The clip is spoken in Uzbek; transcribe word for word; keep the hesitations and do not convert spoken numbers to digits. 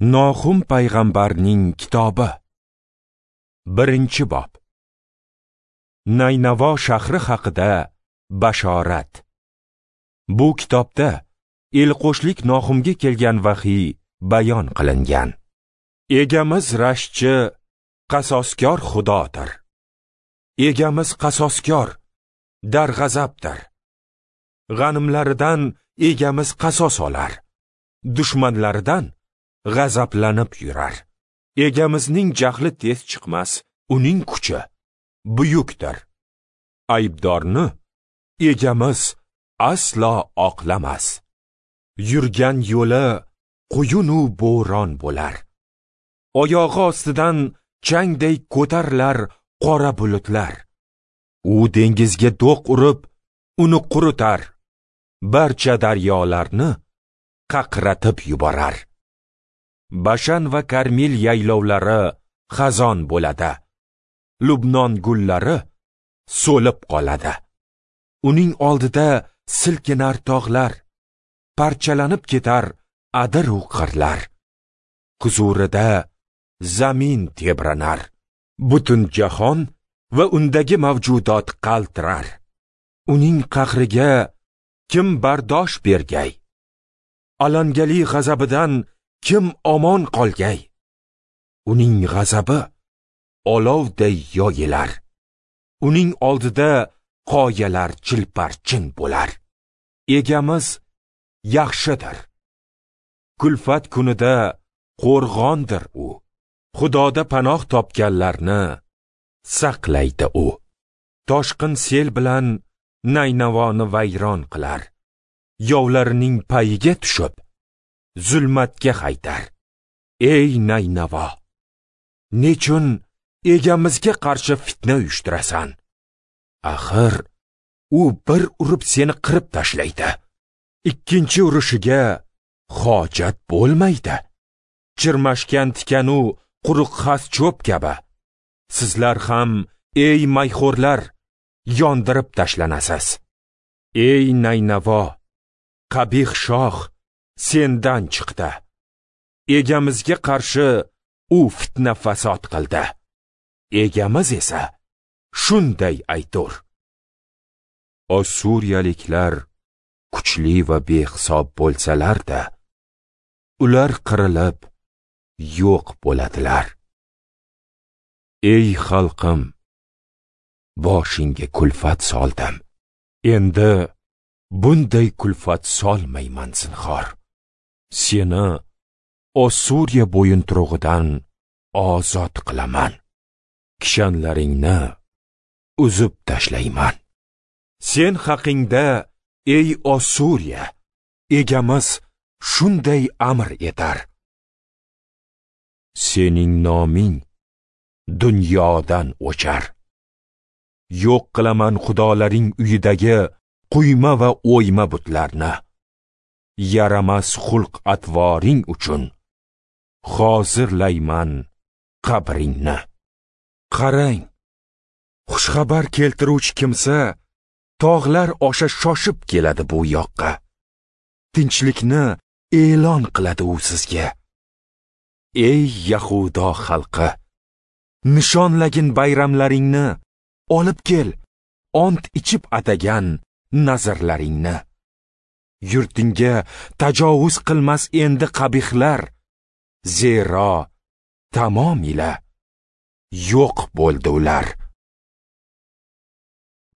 Nohum payg'ambarning kitobi. Birinchi bob. Naynavo shahri haqida bashorat. Bu kitobda elqo'shlik Nohumga kelgan vahiy bayon qilingan. Egamiz rashchi, qasoskor Xudodir. Egamiz qasoskor, darg'azabdir. G'animlaridan egamiz qasos olar, dushmanlaridan g'azablanib yurar. Egamizning jahli tez chiqmas, uning kuchi buyukdir. Aybdorni egamiz aslo oqlamas. Yurgan yo'li quyun-u bo'ron bo'lar. Oyog'i ostidan changday ko'tarilar qora bulutlar. U dengizga do'q urib, uni quritar. Barcha daryolarni qaqratib yuborar. Bashan va Karmil yaylovlari xazon bo'ladi. Lubnon gullari so'lib qoladi. Uning oldida silkinar tog'lar, parchalanib ketar adir u qirlar. Huzurida zamin tebranar. Butun jahon va undagi mavjudot qaltirar. Uning qahriga kim bardosh bergay? Alangali g'azabidan kim omon qolgay? Uning g'azabi olovday yoyilar. Uning oldida qoyalar chilparchin bo'lar. Egamiz yaxshidir. Kulfat kunida qo'rg'ondir u. Xudoda panoh topganlarni saqlaydi u. Toshqin sel bilan Naynavoni vayron qilar. Yovlarining payiga tushib, zulmatga haydar. Ey Naynavo, nechun egamizga qarshi fitna uyushtirasan? Axir u bir urib seni qirib tashlaydi. Ikkinchi urishiga hojat bo'lmaydi. Chirmashgan tikanu quruq xas cho'p kabi. Sizlar ham, ey mayxo'rlar, yondirib tashlanasiz. Ey Naynavo, qabih shoh sendan chiqdi. Egamizga qarshi u fitna fasod qildi. Egamiz esa shunday aytur: Ossuriyaliklar kuchli va behisob bo'lsalar-da, ular qirilib yo'q bo'ladilar. Ey xalqim, boshingga kulfat soldim. Endi bunday kulfat solmayman zinhor. Seni Ossuriya bo'yinturug'idan ozod qilaman. Kishanlaringni uzib tashlayman. Sen haqingda, ey Ossuriya, egamiz shunday amr etar: Sening noming dunyodan o'char. Yo'q qilaman xudolaring uyidagi quyma va o'yma butlarni. Yaramas xulq atvoring uchun hozirlayman qabringni. Qarang, xushxabar keltiruvchi kimsa tog'lar osha shoshib keladi bu yoqqa. Tinchlikni e'lon qiladi u sizga. Ey Yahudo xalqi, nishonlagin bayramlaringni, olib kel ont ichib atagan nazarlaringni. Yurtingga tajovuz qilmas endi qabihlar, zero tamomila yo'q bo'ldi ular.